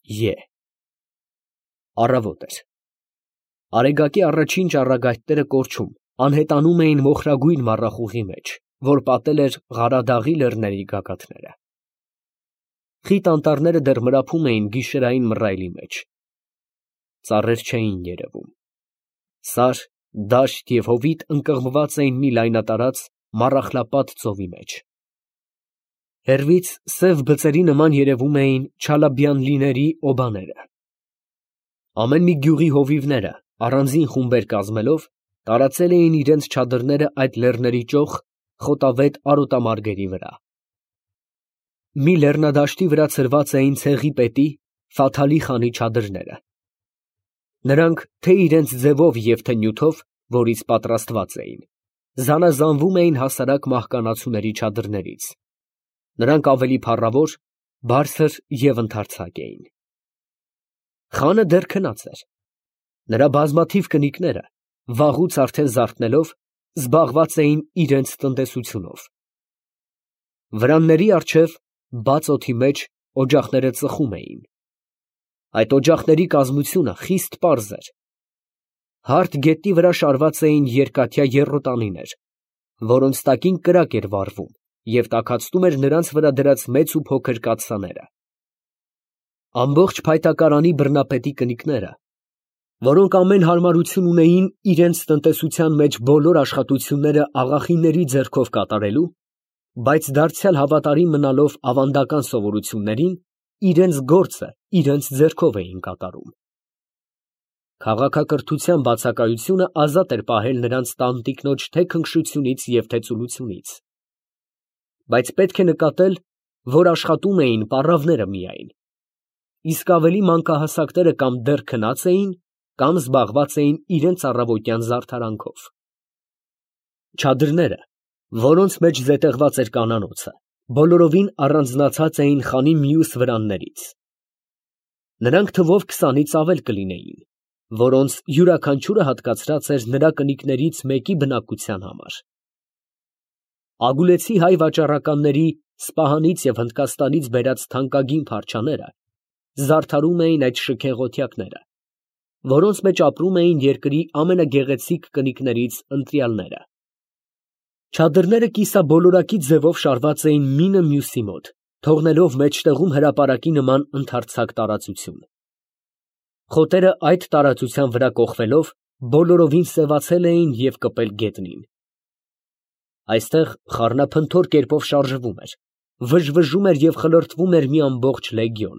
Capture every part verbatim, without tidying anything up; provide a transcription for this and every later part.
Ե Առավոտ էր։ Արեգակի առաջին ճառագայթները կորչում, անհետանում էին մոխրագույն մառախուղի մեջ, որ պատել էր Ղարադաղի լեռների գագաթները։ Խիտ անտառները դեռ մրափում էին գիշերային մռայլի մեջ։ Ծառեր չէին երևում։ Սար, դաշտ և հովիտ ընկղմված էին մի լայնատարած, մառախլապատ ծովի մեջ։ Հեռվից սև բծերի նման երևում էին Չալաբյանլիների օբաները։ Ամեն մի գյուղի հովիվները, առանձին խումբեր կազմելով, տարածել էին իրենց չադրները այդ լեռների ճոխ, խոտավետ արոտամարգերի վրա։ Մի լեռնադաշտի վրա ցրված էին ցեղի պետի, Ֆաթալի խանի չադրները։ Նրանք թե՛ իրենց ձևով և թե՛ նյութով, որից պատրաստված էին, զանազանվում էին հասարակ մահկանացուների չադրներից. նրանք ավելի փառավոր, բարձր և ընդարձակ էին։ Խանը դեռ քնած էր։ Նրա բազմաթիվ կնիկները, վաղուց արդեն զարթնելով, զբաղված էին իրենց տնտեսությունով։ Վրանների առջև, բաց օդի մեջ, օջախները ծխում էին։ Այդ օջախների կազմությունը խիստ պարզ էր։ Հարթ գետնի վրա շարված էին երկաթյա եռոտանիներ, որոնց տակին կրակ էր վառվում և տաքացնում էր նրանց վրա դրած մեծ ու փոքր կաթսաները։ Ամբողջ փայտակարանի բռնապետի կնիկները, որոնք ամեն հարմարություն ունեին իրենց տնտեսության մեջ բոլոր աշխատությունները աղախինների ձեռքով կատարելու, բայց դարձյալ հավատարիմ մնալով ավանդական սովորություններին, իրենց գործը իրենց ձեռքով էին կատարում։ Քաղաքակրթության բացակայությունը ազատ էր պահել նրանց տանտիկնոջ թե՛ քնքշությունից և թե՛ ծուլությունից։ Բայց պետք է նկատել, որ աշխատում էին պառավները միայն, իսկ ավելի մանկահասակները կամ դեռ քնած էին, կամ զբաղված էին իրենց առավոտյան զարդարանքով։ Չադրները, որոնց մեջ զետեղված էր կանանոցը, բոլորովին առանձնացած էին խանի մյուս վրաններից։ Նրանք թվով քսանից ավել կլինեին, որոնց յուրաքանչյուրը հատկացրած էր նրա կնիկներից մեկի բնակության համար։ Ագուլեցի հայ վաճառականների Սպահանից և Հնդկաստանից բերած թանկագին փարչաները զարդարում էին այդ շքեղոտյակները, որոնց մեջ ապրում էին երկրի ամենագեղեցիկ կնիկներից ընտրյալները։ Չադրները կիսաբոլորակի ձևով շարված էին մինը մյուսի մոտ, թողնելով մեջտեղում հրապարակի նման ընդարձակ տարածություն։ Խոտերը այդ տարածության վրա կոխվելով, բոլորովին սևացել էին և կպել գետնին։ Այստեղ խառնափնթոր կերպով շարժվում էր, վժվժում էր և խլրտվում էր մի ամբողջ լեգիոն։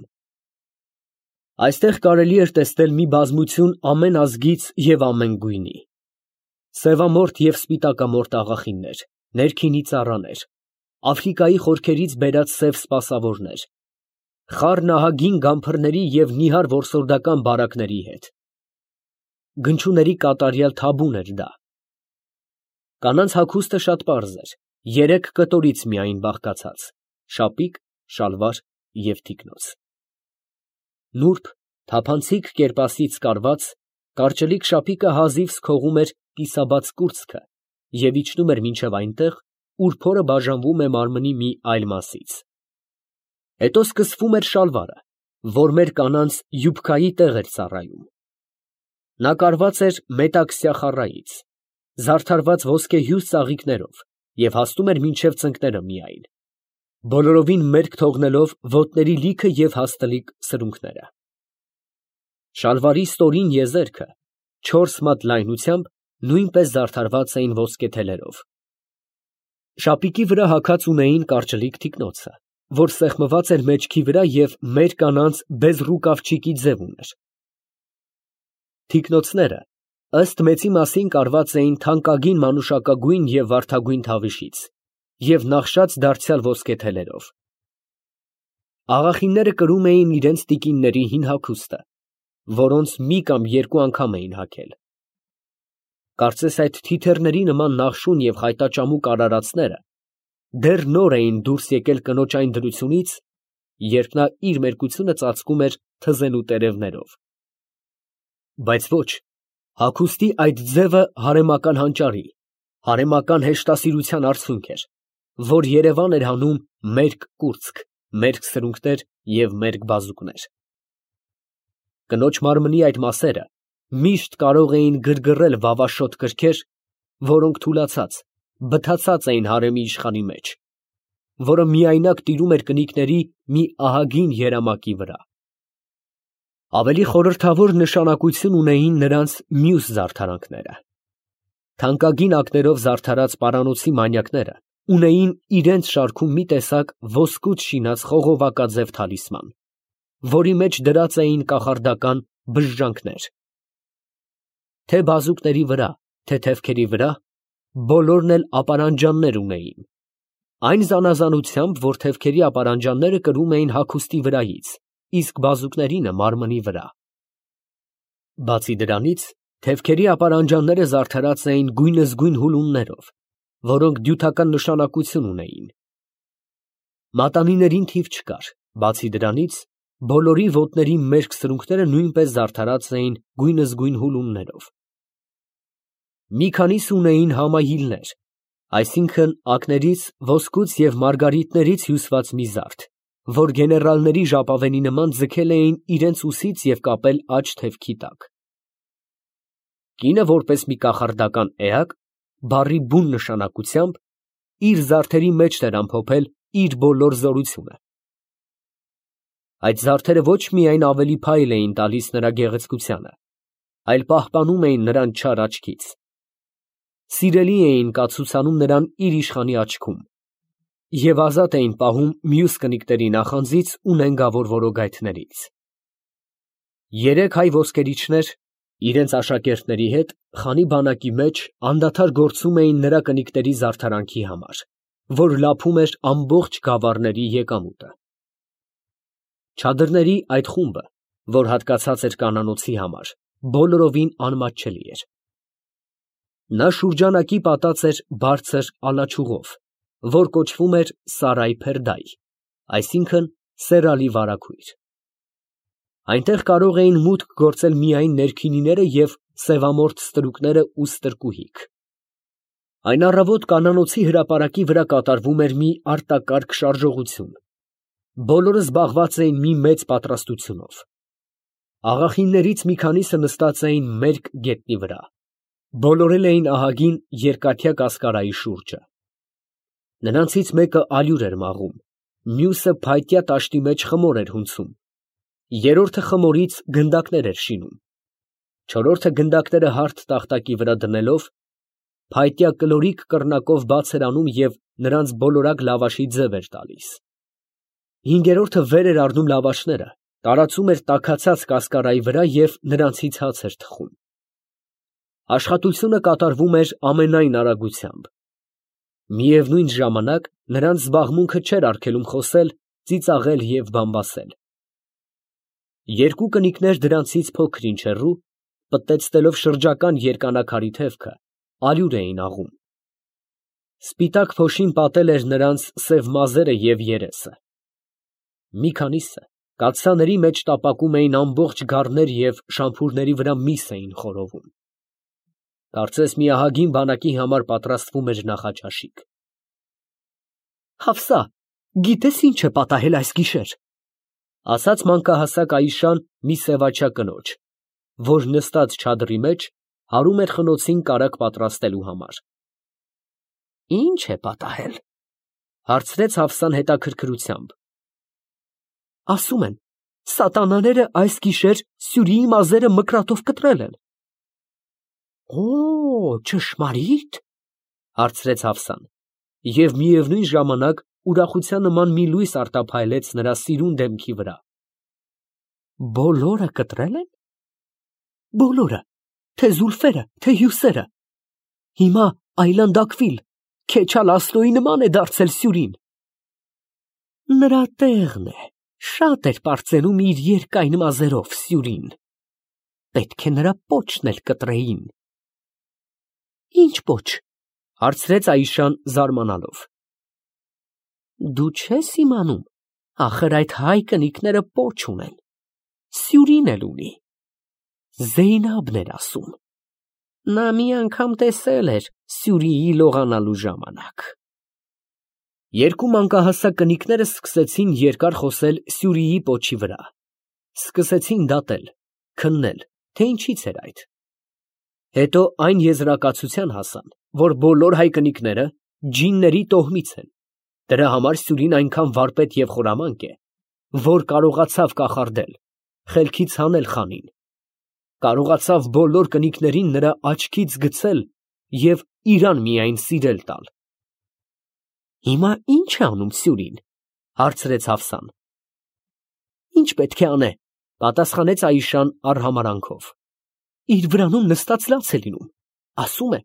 Այստեղ կարելի էր տեսնել մի բազմություն ամեն ազգից և ամեն գույնի. սևամորթ և սպիտակամորթ աղախիններ, ներքինի ծառաներ, Աֆրիկայի խորքերից բերած սև սպասավորներ, խառն ահագին գամփրների և նիհար որսորդական բարակների հետ։ Գնչուների կատարյալ թաբուն էր դա։ Կանանց հագուստը շատ պարզ էր, երեք կտորից միայն բաղկացած՝ շապիկ, շալվար և թիկնոց։ Նուրբ, թափանցիկ կերպասից կարված, կարճլիկ շապիկը հազիվ սքողում էր կիսաբաց կուրծքը և իջնում էր մինչև այնտեղ, ուր փորը բաժանվում է մարմնի մի այլ մասից։ Հետո սկսվում էր շալվարը, որ մեր կանանց յուբքայի տեղ էր ծառայում։ Նա կարված էր մետաքսյա խառայից, զարդարված ոսկեհյուր ծաղիկներով և հասնում էր մինչև ծնկները միայն, բոլորովին մերկ թողնելով ոտների լիքը և հաստլիկ սրունքները։ Շալվարի ստորին եզերքը, չորս մատ լայնությամբ, նույնպես զարդարված էին ոսկե թելերով։ Շապիկի վրա հագած ունեին կարճլիկ թիկնոցը, որ սեղմված էր մեջքի վրա և մեր կանանց բեզռուկավչիկի ձև ուներ։ Թիկնոցները, ըստ մեծի մասին, կարված էին թանկագին մանուշակագույն և վարդագույն թավիշից և նախշած դարձյալ ոսկե թելերով։ Աղախինները կրում էին իրենց տիկինների հին հագուստը, որոնց մի կամ երկու անգամ էին հագել։ Կարծես այդ թիթեռների նման նախշուն և խայտաճամուկ արարածները դեռ նոր էին դուրս եկել կնոջ այն դրությունից, երբ նա իր մերկությունը ծածկում էր թզենու տերևներով։ Բայց ոչ, հագուստի այդ ձևը հարեմական հանճարի, հարեմական հեշտասիրության արդյունք էր, որ երևան էր հանում մերկ կուրծք, մերկ սրունքներ և մերկ բազուկներ։ Կնոջ մարմնի այդ մասերը միշտ կարող էին գրգռել վավաշոտ կրքեր, որոնք թուլացած, բթացած էին հարեմի իշխանի մեջ, որը միայնակ տիրում էր կնիկների մի ահագին երամակի վրա։ Ավելի խորհրդավոր նշանակություն ունեին նրանց մյուս զարդարանքները։ Թանկագին ակներով զարդարած պարանոցի մանյակները ունեին իրենց շարքում մի տեսակ ոսկուց շինած խողովակաձև թալիսման, որի մեջ դրած էին կախարդական բժժանքներ։ Թե բազուկների վրա, թե թևքերի վրա բոլորն էլ ապարանջաններ ունեին, այն զանազանությամբ, որ թևքերի ապարանջանները կրում էին հագուստի վրայից, իսկ բազուկներինը մարմնի վրա։ Բացի դրանից, թևքերի ապարանջանները զարդարած էին գույնզգույն հուլումներով, որոնք դյութական նշանակություն ունեին։ Մատանիներին թիվ չկար, բացի դրանից, բոլորի ոտների մերկ սրունքները նույնպես զարդարած էին գույնզգույն հուլումներով։ Մի քանիսը ունեին համահիլներ, այսինքն ակներից ոսկուց և մարգարիտներից հյուսված մի զարդ, որ գեներալների ժապավենի նման ձգել էին իրենց ուսից և կապել աջ թևքի տակ։ Կինը, որպես մի կախարդական էակ, բառի բուն նշանակությամբ, իր զարդերի մեջ էր ամփոփել իր բոլոր զորությունը։ Այդ զարդերը ոչ միայն ավելի փայլ էին տալիս նրա գեղեցկությանը, այլ պահպանում էին նրան չար աչքից։ Սիրելի էին կացուցանում նրան իր իշխանի աչքում և ազատ էին պահում մյուս կնիկների նախանձից ու նենգավոր որոգայթներից։ Երեք հայ ոսկերիչներ իրենց աշակերտների հետ խանի բանակի մեջ անդադար գործում էին նրա կնիկների զարդարանքի համար, որ լափում էր ամբողջ գավառների եկամուտը։ Չադրների այդ խումբը, որ հատկացած էր կանանոցի համար, բոլորովին անմատչելի էր։ Նա շուրջանակի պատած էր բարձր ալաչուղով, որ կոչվում էր Սարայ֊Փերդայ, այսինքն սերալի վարագույր։ Այնտեղ կարող էին մուտք գործել միայն ներքինիները և սևամորթ ստրուկները ու ստրկուհիք։ Այն առավոտ կանանոցի հրապարակի վրա կատարվում էր մի արտակարգ շարժողություն։ Բոլորը զբաղված էին մի մեծ պատրաստությունով։ Աղախիններից մի քանիսը նստած էին մերկ գետնի վրա, բոլորել էին ահագին երկաթյա կասկարայի շուրջը։ Նրանցից մեկը ալյուր էր մաղում, մյուսը փայտյա տաշտի մեջ խմոր էր հունցում, երրորդը խմորից գնդակներ էր շինում, չորրորդը գնդակները հարթ տախտակի վրա դնելով, փայտյա կլորիկ կռնակով բաց էր անում և նրանց բոլորակ լավաշի ձև էր տալիս։ Հինգերորդը վեր էր առնում լավաշները, տարածում էր տաքացած կասկարայի վրա և նրանցից հաց էր թխում։ Աշխատությունը կատարվում էր ամենայն արագությամբ։ Միևնույն ժամանակ նրանց զբաղմունքը չէր արգելում խոսել, ծիծաղել և բամբասել։ Երկու կնիկներ դրանցից փոքր-ինչ հեռու, պտտեցնելով շրջական երկանաքարի թևքը, ալյուր էին աղում։ Սպիտակ փոշին պատել էր նրանց սև մազերը և երեսը։ Մի քանիսը կաթսաների մեջ տապակում էին ամբողջ գառներ և շամփուրների վրա միս էին խորովում։ Կարծես մի ահագին բանակի համար պատրաստվում էր նախաճաշիկ։ «Հաֆսա, գիտե՞ս ինչ է պատահել այս գիշեր», ֊ ասաց մանկահասակ Այշան մի սևաչյա կնոջ, որ նստած չադրի մեջ հարում էր խնոցին կարագ պատրաստելու համար։ ֊ Ի՞նչ է պատահել, ֊ հարցրեց Հաֆսան հետաքրքրությամբ։ ֊ Ասում են, սատանաները այս գիշեր Սյուրիի մազերը մկրատով կտրել են։ ֊ Օ՜, ճշմարի՞տ, ֊ հարցրեց Հաֆսան, և միևնույն ժամանակ ուրախության նման մի լույս արտափայլեց նրա սիրուն դեմքի վրա։ ֊ Բոլորը կտրել են։ ֊ Բոլորը, թե զուլֆերը, թե հյուսերը։ Հիմա այլանդակվիլ, Քեչալ Ասլոյի նման է դարձել Սյուրին։ Նրա տեղն է, շատ էր պարծենում իր երկայն մազերով Սյուրին։ Պետք է նրա պոչն էլ կտրեին։ ֊ Ի՞նչ պոչ, ֊ հարցրեց Այշան զարմանալով։ ֊ Դու չես իմանում, ախր այդ հայ կնիկները պոչ ունեն, Սյուրին էլ ունի։ Զեյնաբն էր ասում, նա մի անգամ տեսել էր Սյուրիի լողանալու ժամանակ։ Երկու մանկահասակ կնիկները սկսեցին երկար խոսել Սյուրիի պոչի վրա, սկսեցին դատել, Քննել, թե ինչից էր այդ։ Հետո այն եզրակացության հասան, որ բոլոր հայկնիկները ջինների տոհմից են, դրա համար Սյուրին այնքան վարպետ և խորամանկ է, որ կարողացավ կախարդել, խելքից հանել խանին, կարողացավ բոլոր կնիկներին նրա աչքից գցել և իրան միայն սիրել տալ։ Հիմա ի՞նչ է անում Սյուրին, հարցրեց Հաֆսան։ Ինչ պետք է անե, պատասխանեց Այշան արհամարհանքով։ Իր վրանում նստած լաց է լինում, ասում է,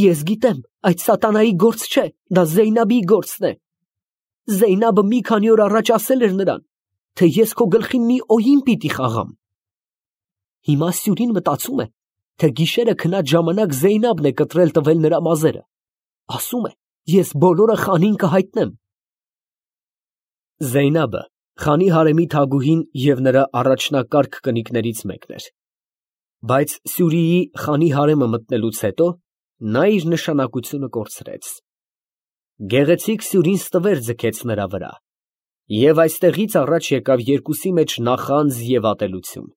ես գիտեմ, այդ սատանայի գործ չէ, դա Զեյնաբի գործն է։ Զեյնաբը մի քանի օր առաջ ասել էր նրան, թե ես քո գլխին մի օյին պիտի խաղամ։ Հիմա Սյուրին մտածում է, թե գիշերը քնած ժամանակ Զեյնաբն է կտրել տվել նրա մազերը, ասում է, ես բոլորը խանին կհայտնեմ։ Զեյնաբը խանի հարեմի թագուհին և նրա առաջնակարգ կնիկներից մեկն էր, բայց Սյուրիի խանի հարեմը մտնելուց հետո նա իր նշանակությունը կորցրեց։ Գեղեցիկ Սյուրին ստվեր ձգեց նրա վրա, և այստեղից առաջ եկավ երկուսի մեջ նախանձ և ատելություն։